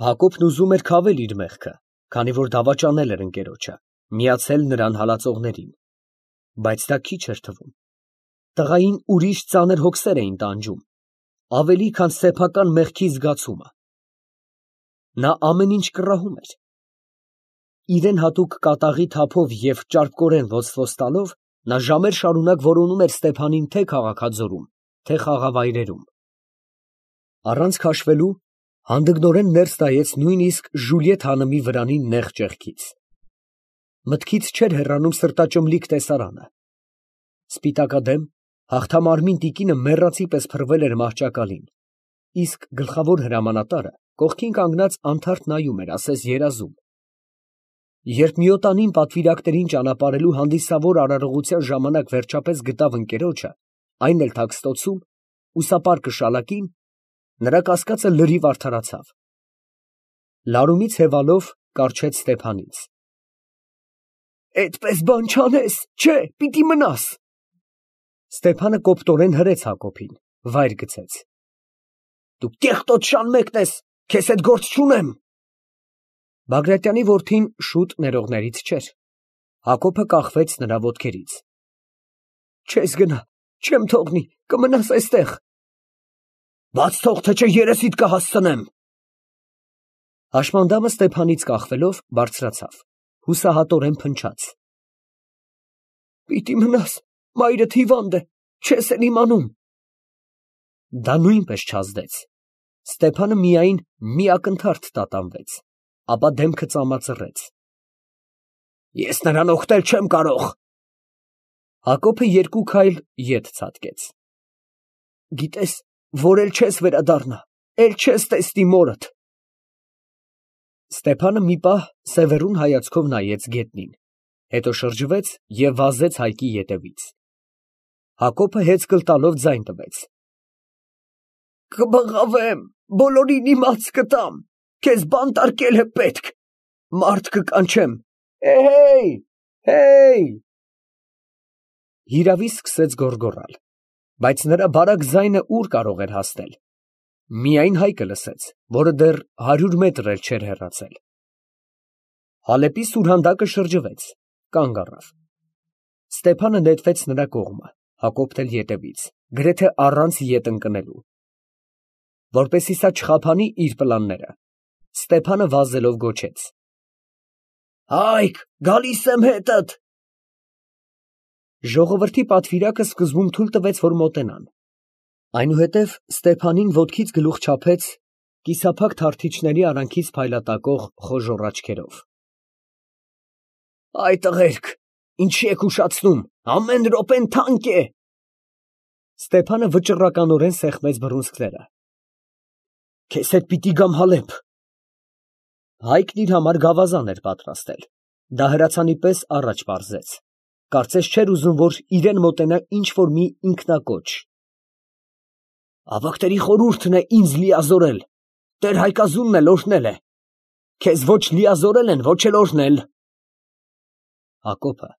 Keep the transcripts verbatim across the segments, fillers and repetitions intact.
Հակոբն ուզում էր քավել իր մեղքը, քանի որ դավաճանել էր ընկերոջը, միացել նրան հալածողներին, բայց դա քիչ էր թվում. տղային ուրիշ ծանր հոգսեր էին տանջում, ավելի քան սեփական մեղքի զգացումը. նա ամեն ինչ կռահում էր. իրան հատուկ կատաղի թափով և ճարպկորեն ոսկորս տալով, նա ժամեր շարունակ որոնում էր Ստեփանին թե՛ քաղաքաձորում, թե՛ խաղավայրերում. առանց քաշվելու, հանդգնորեն ներս նայեց նույնիսկ Ժուլիետ հանըմի վրանի նեղ ճեղքից. մտքից չէր հեռանում սրտաճմլիկ տեսարանը. սպիտակադեմ, հաղթամարմին տիկինը մեռածի պես փռվել էր մահճակալին, իսկ գլխավոր հրամանատարը կողքին կանգնած անթարթ նայում էր, ասես երազում. երբ միոտանին պատվիրակներին ճանապարհելու հանդիսավոր արարողության ժամանակ վերջապես գտավ ընկերոջը, այն էլ թաքստոցում, ուսապար կշալակին, նրա կասկածը լրիվ արդարացավ. լարումից հևալով կառչեց Ստեփանից. «Էդպես բան չանես, չէ, պիտի մնաս»։ Ստեփանը կոպտորեն հրեց Հակոբին, վայր գցեց. «Դու կեղտոտ շան մեկն ես, քեզ հետ գործ չունեմ»։ Բագրատյանի որդին շուտ ներողներից չէր. Հակոբը կախվեց նրա ոտքերից. «Չես գնա, չեմ թողնի, կմնաս այստեղ»։ «Բաց թող, թե չէ երեսիդ կհասցնեմ»։ Հաշմանդամը Ստեփանից կախվելով բարձրացավ, հուսահատորեն փնչաց. «Պիտի մնաս, մայրդ հիվանդ է, չես էլ իմանում»։ Դա նույնպես չազդեց. Ստեփանը միայն մի ակնթարթ տատանվեց, ապա դեմքը ծամածռեց. «Ես նրան օգնել չեմ կարող»։ Հակոբը երկու քայլ ետ ցատկեց. «Գիտես, որ էլ չես վերադառնա, էլ չես տեսնի մորդ»։ Ստեփանը մի պահ սևեռուն հայացքով նայեց գետնին, հետո շրջվեց և վազեց հայկի ետևից. Հակոբը հեծկլ տալով ձայն տվեց. «Կբղավեմ, բոլորին իմաց կտամ, քեզ բանտարկել է պետք, մարդ կկանչեմ, հեյ, հեյ»։ Հիրավի սկսեց գոռգոռալ, բայց նրա բարակ ձայնը ուր կարող էր հասնել. միայն հայկը լսեց, որը դեռ հարյուր մետր էլ չէր հեռացել. Հալեպի սուրհանդակը շրջվեց, կանգ առավ. Ստեփանը նետվեց նրա կողմը, Հակոբն էլ ետևից, գրեթե առանց ետ ընկնելու. որպեսզի սա չխաբանի իր պլանները, Ստեփանը վազելով գոչեց. «Հայկ, գալիս եմ հետդ»։ Ժողովրդի պատվիրակը սկզբում թույլ տվեց, որ մոտենան. այնուհետև Ստեփանին ոտքից գլուխ չափեց կիսափակ թարթիչների արանքից փայլատակող խոժոռ աչքերով. «Այ տղերք, ինչի եք ուշացնում, ամեն րոպեն թանկ է»։ Ստեփանը վճռականորեն սեղմեց բռունցքները. «Քեզ հետ պիտի գամ Հալեփ»։ Հայկն իր համար գավազան էր պատրաստել, դա հրացանի պես առաջ պարզեց, կարծես չէր ուզում, որ իրան մոտենա ինչ֊որ մի ինքնակոչ. «Ավագների խորհուրդն է ինձ լիազորել, տեր Հայկազունն էլ օրհնել է, քեզ ոչ լիազորել են, ոչ էլ օրհնել»։ Հակոբը,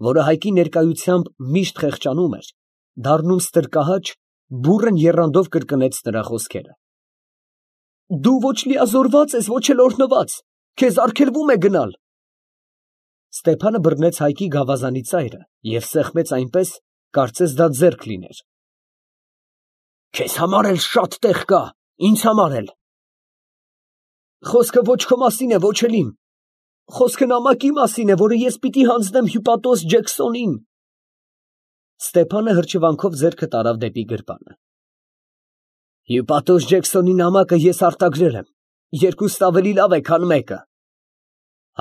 որը հայկի ներկայությամբ միշտ խեղճանում էր, դառնում ստրկահաճ, բուռն եռանդով կրկնեց նրա խոսքերը. «Դու ոչ լիազորված ես, ոչ էլ օրհնված, քեզ արգելվում է գնալ»։ Ստեփանը բռնեց հայկի գավազանի ծայրը և սեղմեց այնպես, կարծես դա ձեռք լիներ. «Քեզ համար էլ շատ տեղ կա, ինձ համար էլ»։ «Խոսքը ոչ քո մասին է, ոչ էլ իմ, խոսքը նամակի մասին է, որը ես պիտի հանձնեմ հյուպատոս Ջեքսոնին»։ Ստեփանը հրճվանքով ձեռքը տարավ դեպի գրպանը. «Հյուպատոս Ջեքսոնի նամակը ես արտագրել եմ, երկուստ ավելի լավ է, քան մեկը»։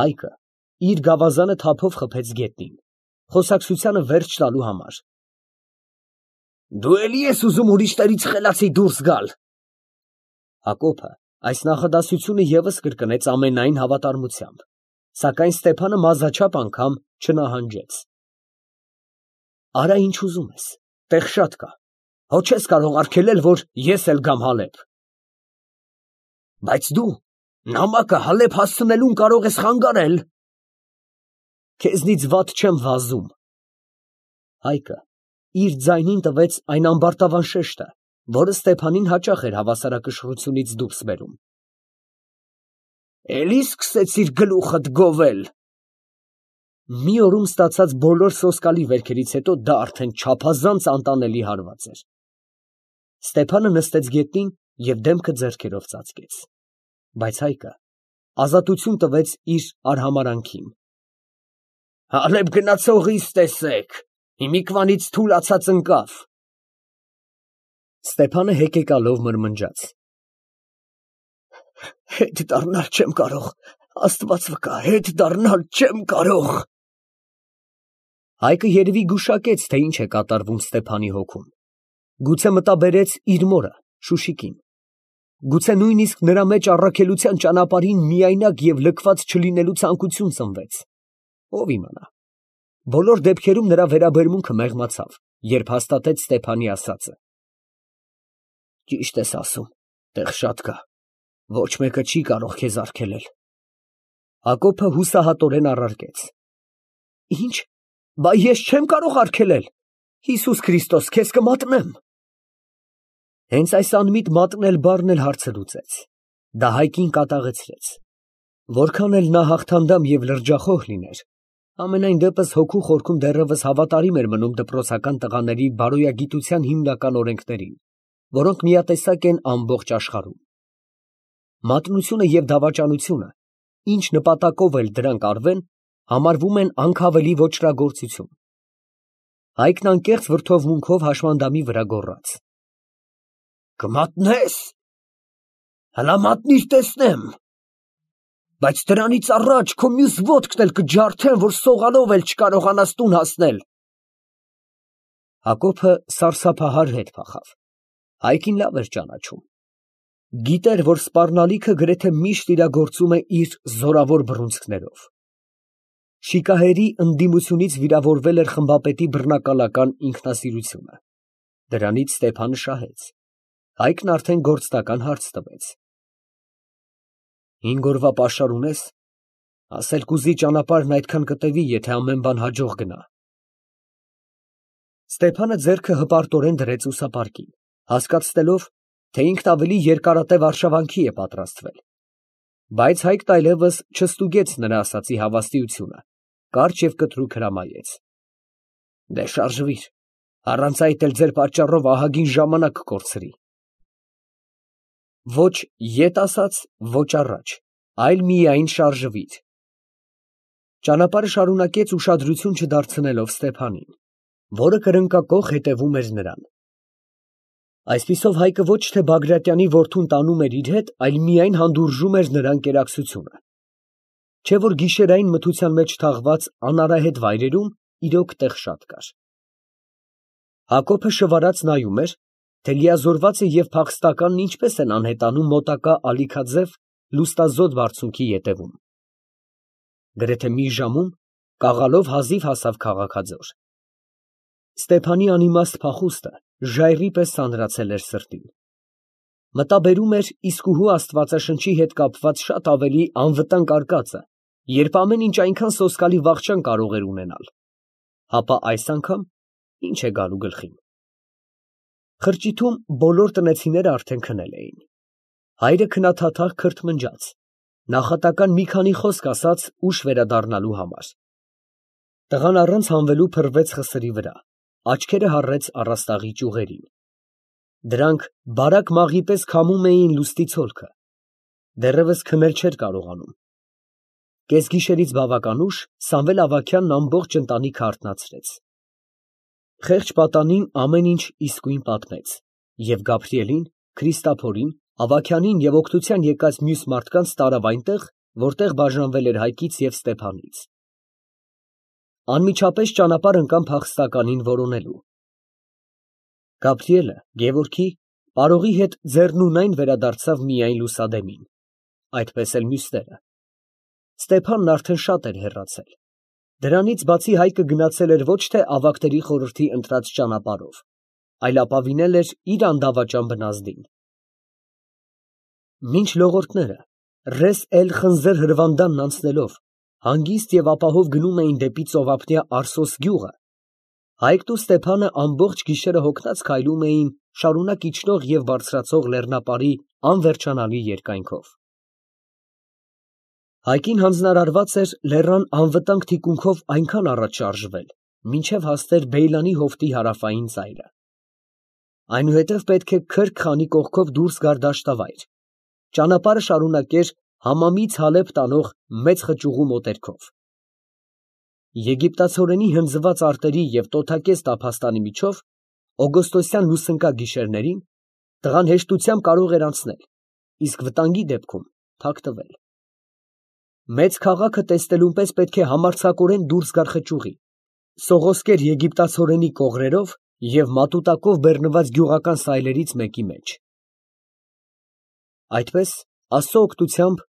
Հայկը իր գավազանը թափով խփեց գետնին, խոսակցությանը վերջ տալու համար. «Դու էլի ես ուզում ուրիշներից խելացի դուրս գալ»։ Հակոբը այս նախադասությունը ևս կրկնեց ամենայն հավատարմությամբ, սակայն Ստեփանը մազաչափ անգամ չնահանջեց. «Արա ինչ ուզում ես, տեղ շատ կա, հո չես կարող արգելել, որ ես էլ գամ Հալեփ»։ «Բայց դու նամակը Հալեփ հասցնելուն կարող ես խանգարել»։ «Քեզնից վատ չեմ վազում»։ Հայկը իր ձայնին տվեց այն ամբարտավան շեշտը, որը Ստեփանին հաճախ էր հավասարակշռությունից դուրս բերում. Էլի սկսեցիր գլուխդ գովել։ Մի օրում ստացած բոլոր սոսկալի վերքերից հետո դա արդեն չափազանց անտանելի հարված էր։ Ստեփանը նստեց գետնին և դեմքը ձեռքերով ծածկեց, բայց Հայկը ազատություն տվեց իր արհամարհանքին։ Հալեբ գնացողիս տեսեք, հիմիկվանից թուլացած ընկավ։ Ստեփանը հեկեկալով մրմնջաց. Հետ դառնալ չեմ կարող, Աստված վկա, հետ դառնալ չեմ կարող։ Հայկը երևի գուշակեց, թե ինչ է կատարվում Ստեփանի հոգում, գուցե մտաբերեց իր մորը Շուշիկին, գուցե նույնիսկ նրա մեջ առաքելության ճանապարհին միայնակ և լքված չլինելու ցանկություն ծնվեց, ով իմանա։ Բոլոր դեպքերում նրա վերաբերմունքը մեղմացավ, երբ հաստատեց Ստեփանի ասածը։ Ճիշտ ես ասում, տեղ շատ կա, ոչ մեկը չի կարող քեզ արգելել։ Հակոբը հուսահատորեն առարկեց. Ինչ, բա ես չեմ կարող արգելել, Հիսուս Քրիստոս, քեզ կմատնեմ։ Հենց այս անմիտ մատնել բառն էլ հարցը լուծեց, դա Հայկին կատաղեցրեց։ Որքան էլ նա հաղթանդամ և լրջախոհ լիներ, ամենայն դեպս հոգու խորքում դեռևս հավատարիմ էր մնում դպրոցական տղաների բարոյագիտության հիմնական օրենքներին, որոնք միատեսակ են ամբողջ աշխարհում։ Մատնությունը և դավաճանությունը, ինչ նպատակով էլ դրանք արվեն, համարվում են անքավելի ոճրագործություն։ Հայկն անկեղծ վրդովմունքով հաշմանդամի վրա գոռաց. Կմատնե՞ս, հլա մատնիր տեսնեմ, բայց դրանից առաջ քո մյուս ոտքն էլ կջարդեմ, որ սողալով էլ չկարողանաս տուն հասնել։ Հակոբը սարսափահար հետ փախավ։ Հայկին լավ էր ճանաչում։ Գիտեր, որ սպառնալիքը գրեթե միշտ իրագործում է իր զորավոր բռունցքներով։ Շիկահերի ընդդիմությունից վիրավորվել էր խմբապետի բռնակալական ինքնասիրությունը։ Դրանից Ստեփանը շահեց։ Հայկն արդեն գործնական հարց տվեց. Հինգ օրվա պաշար ունե՞ս, ասել կուզի ճանապարհն այդքան կտևի, եթե ամեն բան հաջող գնա։ Ստեփանը ձեռքը հպարտորեն դրեց ուսապարկին, հասկացնելով, թե ինքն ավելի երկարատև արշավանքի է պատրաստվել։ Բայց Հայկն այլևս չստուգեց նրա ասածի հավաստիությունը, կարճ և կտրուկ հրամայեց. Դե շարժվիր, առանց այդ էլ ձեր պատճառով ահագին ժամանակ կկորցրի։ Ոչ ետ ասած, ոչ առաջ, այլ միայն շարժվիր։ Ճանապարհը շարունակեց ուշադրություն չդարձնելով Ստեփանին, որը կրնկակոխ հետևում էր նրան։ Այսպիսով Հայկը ոչ թե Բագրատյանի որդուն տանում էր իր հետ, այլ միայն հանդուրժում էր նրա ընկերակցությունը։ Չէ՞ որ գիշերային մթության մեջ թաղված անարահետ վայրերում իրոք տեղ շատ կար։ Հակոբը շվարած նայում էր, թե լիազորվածը և փախստականն ինչպես են անհետանում մոտակա ալիքաձև լուստազոտ բարձունքի ետևում։ Գրեթե մի ժամում կաղալով հազիվ հասավ քաղաքաձոր։ Ստեփանի անիմաստ փախուստը ժայռի պես սանրացել էր սրտին։ Մտաբերում էր իսկուհու Աստվածաշնչի հետ կապված շատ ավելի անվտանգ արկածը, երբ ամեն ինչ այնքան սոսկալի վախճան կարող էր ունենալ, հապա այս անգամ ի՞նչ է գալու գլխին։ Խրճիթում բոլոր տնեցիները արդեն քնել էին։ Հայրը քնաթաթախ քրթմնջաց, նախատական մի քանի խոսք ասաց ուշ վերադառնալու համար։ Տղան առանց հանվելու փռվեց խսրի վրա, աչքերը հառեց առաստաղի ճյուղերին։ Դրանք բարակ մաղի պես քամում էին լուստի ցոլքը, դեռևս քնել չէր կարողանում։ Կեսգիշերից բավական ուշ Սամվել Ավագյանն ամբողջ ընտանիքը արթնացրեց։ Խեղճ պատանին ամեն ինչ իսկույն պատմեց, և Գաբրիելին, Քրիստափորին, Ավագյանին և օգնության եկած մյուս մարդկանց տարավ այնտեղ, որտեղ բաժանվել էր Հայկից և Ստեփանից։ Անմիջապես ճանապարհ ընկան փախստականին որոնելու։ Գաբրիելը Գևորգի, պարողի հետ ձեռնունայն վերադարձավ միայն լուսադեմին, այդպես էլ մյուսները։ Ստեփանն արդեն շատ էր հեռացել։ Դրանից բացի Հայկը գնացել էր ոչ թե ավագների խորհրդի ընտրած ճանապարհով, այլ ապավինել էր իր անդավաճան բնազդին։ Մինչ լողորդները Ռես էլ֊Խնձոր հրվանդանն անցնելով հանգիստ և ապահով գնում էին դեպի ծովափնյա Արսոս գյուղը, Հայկն ու Ստեփանը ամբողջ գիշերը հոգնած քայլում էին շարունակ իջնող և բարձրացող լեռնապարի անվերջանալի երկայնքով։ Հայկին հանձնարարված էր լեռան անվտանգ թիկունքով այնքան առաջ շարժվել, մինչև հասներ Բեյլանի հովտի հարավային ծայրը։ Այնուհետև պետք է քրք խանի կողքով դուրս գար դաշտավայր, ճանապարհը շարունակեր Համամից Հալեբ տանող մեծ խճուղու մոտերքով։ Եգիպտացորենի հնձված արտերի և տոթակեզ տափաստանի միջով օգոստոսյան լուսնկա գիշերներին տղան հեշտությամբ կարող էր անցնել, իսկ վտանգի դեպքում թաքնվել։ Մեծ քաղաքը տեսնելուն պես պետք է համարձակորեն դուրս գար խճուղի, սողոսկեր եգիպտացորենի կողրերով և մատուտակով բեռնված գյուղական սայլերից մեկի մեջ։ Այդպես, Աստծո օգնությամբ,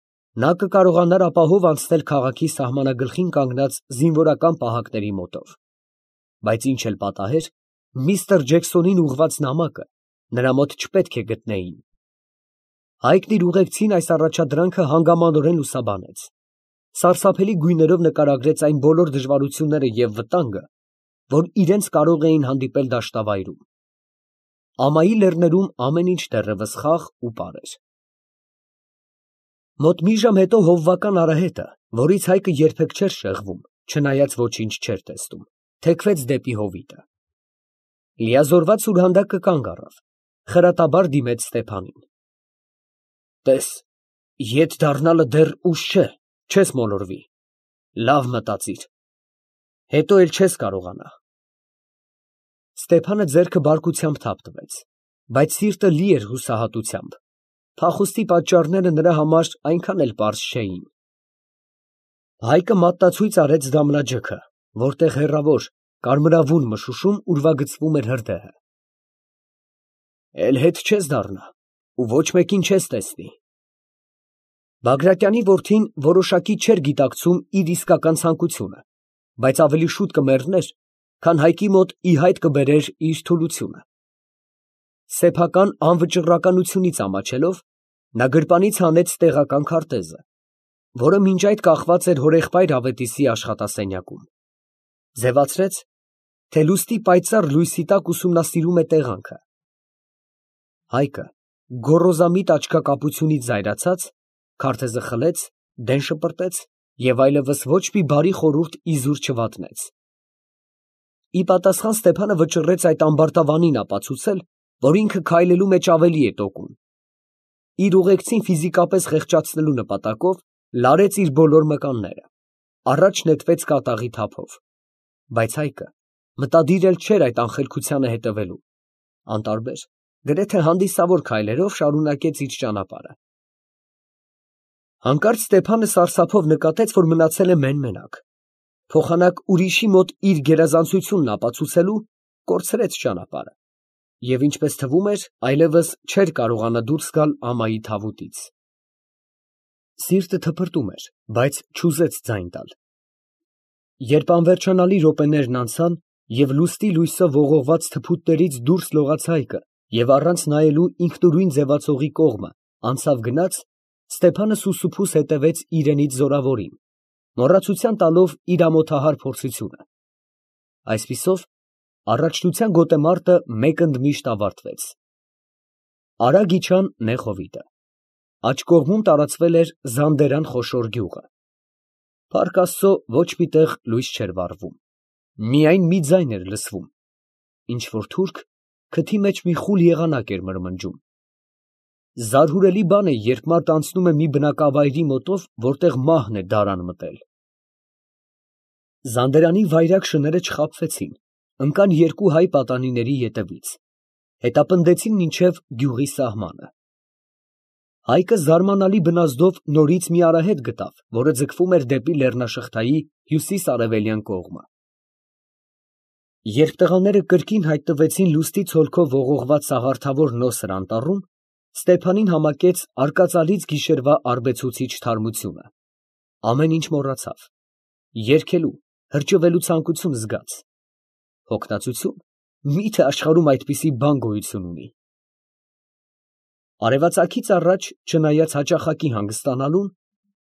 նա կկարողանար ապահով անցնել քաղաքի սահմանագլխին կանգնած զինվորական պահակների մոտով, բայց ինչ էլ պատահեր, միստր Ջեքսոնին ուղղված նամակը նրա մոտ չպետք է գտնեին։ Հայկն իր ուղեկցին այս առաջադրանքը հանգամանորեն լուսաբանեց, սարսափելի գույներով նկարագրեց այն բոլոր դժվարությունները և վտանգը, որ իրենց կարող էին հանդիպել դաշտավայրում։ Ամայի լեռներում ամեն ինչ դեռևս խաղ ու պար էր։ Մոտ մի ժամ հետո հովվական արահետը, որից Հայկը երբեք չէր շեղվում, չնայած ոչինչ չէր տեսնում, թեքվեց դեպի հովիտը։ Լիազորված սուրհանդակը կանգ առավ, խրատաբար դիմեց Ստեփանին։ Տես, ետ դառնալը դեռ ուշ չէ, չես մոլորվի, լավ մտածիր, հետո էլ չես կարողանա։ Ստեփանը ձեռքը բարկությամբ թափ տվեց, բայց սիրտը լի էր հուսահատությամբ, փախուստի պատճառները նրա համար այնքան էլ պարզ չէին։ Հայկը մատնացույց արեց դամնաջքը, որտեղ հեռավոր, կարմրավուն մշուշում ուրվագծվում էր հրդեհը։ Էլ հետ չես դառնա ու ոչ մեկին չես տեսնի։ Բագրատյանի որդին որոշակի չէր գիտակցում իր իսկական ցանկությունը, բայց ավելի շուտ կմեռներ, քան Հայկի մոտ ի հայտ կբերեր իր թուլությունը։ Սեփական անվճռականությունից ամաչելով, նա գրպանից հանեց տեղական քարտեզը, որը մինչ այդ կախված էր հորեղբայր Ավետիսի աշխատասենյակում, ձևացրեց, թե լուսնի պայծառ լույսի տակ ուսումնասիրում է տեղանքը։ Հայկը գոռոզամիտ աչքակապությունից զայրացած, քարտեզը խլեց, դեն շպրտեց և այլևս ոչ մի բարի խորհուրդ իզուր չվատնեց։ Ի պատասխան Ստեփանը վճռեց այդ ամբարտավանին ապացուցել, որ ինքը քայլելու մեջ ավելի է տոկուն։ Իր ուղեկցին ֆիզիկապես խեղճացնելու նպատակով լարեց իր բոլոր մկանները, առաջ նետվեց կատաղի թափով, բայց Հայկը մտադիր էլ չէր այդ անխելքությանը հետևելու, անտարբեր, գրեթե հանդիսավոր քայլերով շարունակեց իր ճանապարհը։ Հանկարծ Ստեփանը սարսափով նկատեց, որ մնացել է մեն֊մենակ, փոխանակ ուրիշի մոտ իր գերազանցությունն ապացուցելու, կորցրեց ճանապարհը և, ինչպես թվում էր, այլևս չէր կարողանա դուրս գալ ամայի թավուտից։ Սիրտը թպրտում էր, բայց չուզեց ձայն տալ։ Երբ անվերջանալի րոպեներն անցան և լուսնի լույսով ողողված թփուտներից դուրս լողաց Հայկը և առանց նայելու ինքնուրույն ձևացողի կողմը անցավ գնաց, Ստեփանը սուսուփուս հետևեց իրենից զորավորին, մոռացության տալով իր ամոթահար փորձությունը։ Այսպիսով, առաջնության գոտեմարտը մեկընդմիշտ ավարտվեց։ Արագ իջան նեղ հովիտը։ Աջ կողմում տարածվել էր Զանդերան խոշոր գյուղը։ Փառք Աստծո, ոչ մի տեղ լույս չէր վառվում, միայն մի ձայն էր լսվում, ինչ֊որ թուրք քթի մեջ մի խուլ եղանակ էր մրմնջում։ Զարհուրելի բան է, երբ մարդ անցնում է մի բնակավայրի մոտով, որտեղ մահն է դարան մտել։ Զանդերանի վայրագ շները չխաբվեցին, ընկան երկու հայ պատանիների ետևից, հետապնդեցին մինչև գյուղի սահմանը։ Հայկը զարմանալի բնազդով նորից մի արահետ գտավ, որը ձգվում էր դեպի լեռնաշղթայի հյուսիս֊արևելյան կողմը։ Երբ տղաները կրկին հայտնվեցին լուսնի ցոլքով ողողված սաղարթավոր նոսր անտառում, Ստեփանին համակեց արկածալից գիշերվա արբեցուցիչ թարմությունը։ Ամեն ինչ մոռացավ, երգելու, հրճվելու ցանկություն զգաց։ Հոգնածություն, մի՞թե աշխարհում այդպիսի բան գոյություն ունի։ Արևածագից առաջ, չնայած հաճախակի հանգստանալուն,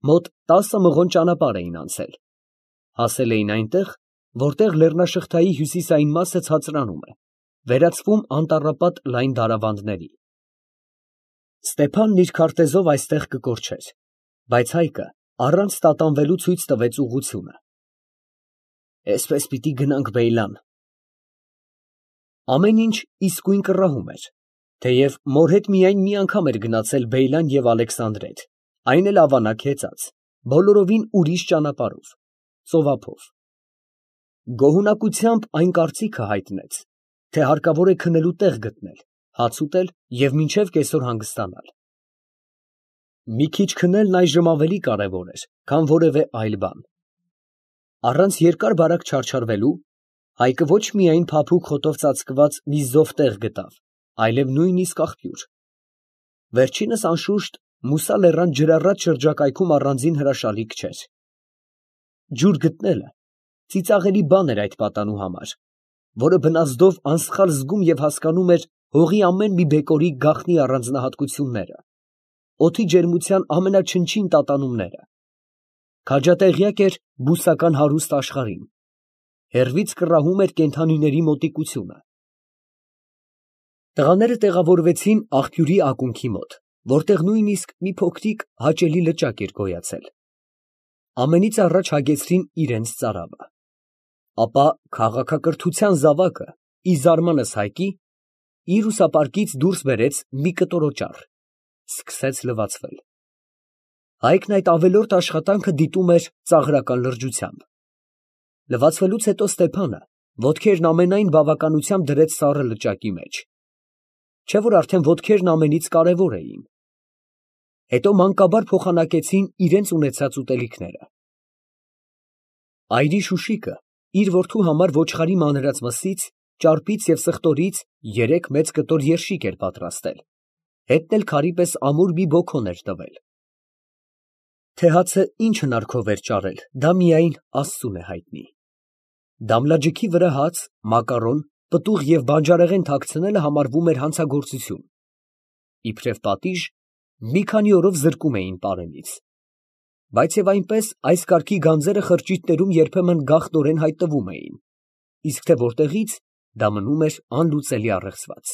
մոտ տասը մղոն ճանապարհ էին անցել։ Հասել էին այնտեղ, որտեղ լեռնաշղթայի հյուսիսային մասը ցածրանում է, վերածվում անտառապատ լայն դարավանդների։ Ստեփանն իր քարտեզով այստեղ կկորչեր, բայց Հայկը Առանց տատանվելու ցույց տվեց ուղղությունը։ Էսպես պիտի գնանք Բեյլան։ Ամեն ինչ իսկույն կռահում էր, թեև մոր հետ միայն մի անգամ էր գնացել Բեյլան և Ալեքսանդրետ, այն էլ ավանակ հեծած, բոլորովին ուրիշ ճանապարհով, ծովափով։ Գոհունակությամբ այն կարծիքը հայտնեց, թե հարկավոր է քնելու տեղ գտնել, հաց ուտել և մինչև կեսօր հանգստանալ։ Մի քիչ քնելն այժմ ավելի կարևոր էր, քան որևէ այլ բան։ Առանց երկար֊բարակ չարչարվելու Հայկը ոչ միայն փափուկ խոտով ծածկված մի զով տեղ գտավ, այլև նույնիսկ աղբյուր։ Վերջինս անշուշտ Մուսա լեռան ջրառատ շրջակայքում առանձին հրաշալիք չէր։ Ջուր գտնելը ծիծաղելի բան էր այդ պատանու համար, որը բնազդով անսխալ զգում և հասկանում էր հողի ամեն մի բեկորի գաղտնի առանձնահատկությունները, օդի ջերմության ամենաչնչին տատանումները։ Քաջատեղյակ էր բուսական հարուստ աշխարհին, հեռվից կռահում էր կենդանիների մոտիկությունը։ Տղաները տեղավորվեցին աղբյուրի ակունքի մոտ, որտեղ նույնիսկ մի փոքրիկ հաճելի լճակ էր գոյացել։ Ամենից առաջ հագեցրին իրենց ծարավը, ապա քաղաքակրթության զավակը, ի զարմանս Հայկի, իր ուսապարկից դուրս բերեց մի կտոր օճառ, սկսեց լվացվել։ Հայկն այդ ավելորդ աշխատանքը դիտում էր ծաղրական լրջությամբ։ Լվացվելուց հետո Ստեփանը ոտքերն ամենայն բավականությամբ դրեց սառը լճակի մեջ, չէ՞ որ արդեն ոտքերն ամենից կարևոր էին։ Հետո մանկաբար փոխանակեցին իրենց ունեցած ուտելիքները։ Այրի Շուշիկը իր որդու համար ոչխարի մանրած մսից, ճարպից և սխտորից երեք մեծ կտոր երշիկ էր պատրաստել, հետն էլ քարի պես ամուր մի բոքոն էր տվել։ Թե հացը ինչ հնարքով էր ճարել, դա միայն աստծուն է հայտնի։ Դամլաջիքի վրա հաց, մակարոն, պտուղ և բանջարեղեն թաքցնելը համարվում էր հանցագործություն։ Իբրև պատիժ, մի քանի օրով զրկում էին պարենից։ Բայց և այնպես այս կարգի գանձերը խրճիթներում երբեմն գաղտնորեն հայտնվում էին, իսկ թե որտեղից, դա մնում էր անլուծելի առեղծված։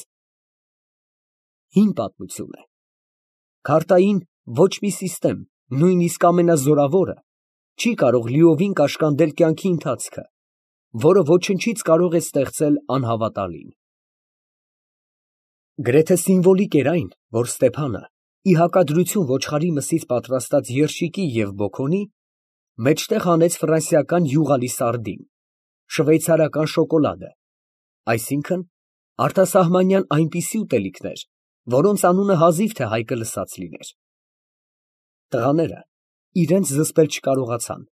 Հին պատմություն է։ Քարտային ոչ մի սիստեմ, նույնիսկ ամենազորավորը, չի կարող լիովին կաշկանդել կյանքի ընթացքը, որը ոչնչից կարող է ստեղծել անհավատալին։ Գրեթե սիմվոլիկ էր այն, որ Ստեփանը, ի հակադրություն ոչխարի մսից պատրաստած երշիկի և բոքոնի, մեջտեղ հանեց ֆրանսիական յուղալի սարդին, շվեյցարական շոկոլադը, այսինքն՝ արտասահմանյան այնպիսի ուտելիքներ, որոնց անունը հազիվ թե Հայկը լսած լիներ։ Տղաները իրենց զսպել չկարողացան,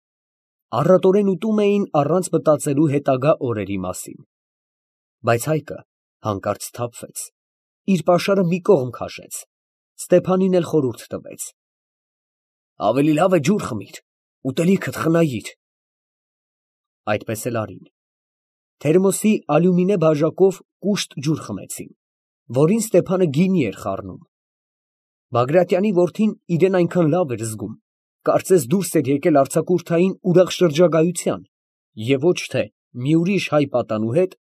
առատորեն ուտում էին առանց մտածելու հետագա օրերի մասին։ Բայց Հայկը հանկարծ սթափվեց, իր պաշարը մի կողմ քաշեց, Ստեփանին էլ խորհուրդ տվեց. ավելի լավ է ջուր խմիր, ուտելիքդ խնայիր։ Այդպես էլ արին։ Թերմոսի ալյումինե բաժակով կուշտ ջուր խմեցին, որին Ստեփանը գինի էր խառնում։ Բագրատյանի որդին իրան այնքան լավ էր զգում, կարծես դուրս էր եկել արձակուրդային ուրախ շրջագայության և ոչ թե մի ուրիշ հայ պատանու հետ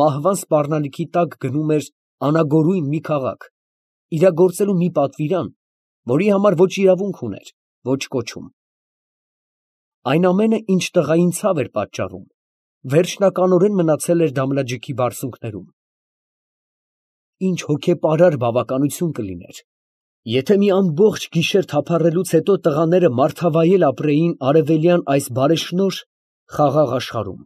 մահվան սպառնալիքի տակ գնում էր անագորույն մի քաղաք, իրագործելու մի պատվիրան, որի համար ոչ իրավունք ուներ, ոչ կոչում։ Այն ամենը, ինչ տղային ցավ էր պատճառում, վերջնականորեն մնացել էր Դամլաջիքի բարձունքներում։ Ինչ հոգեպարար բավականություն կլիներ, եթե մի ամբողջ գիշեր թափառելուց հետո տղաները մարդավայել ապրեին արևելյան այս բարեշնորհ, խաղաղ աշխարհում։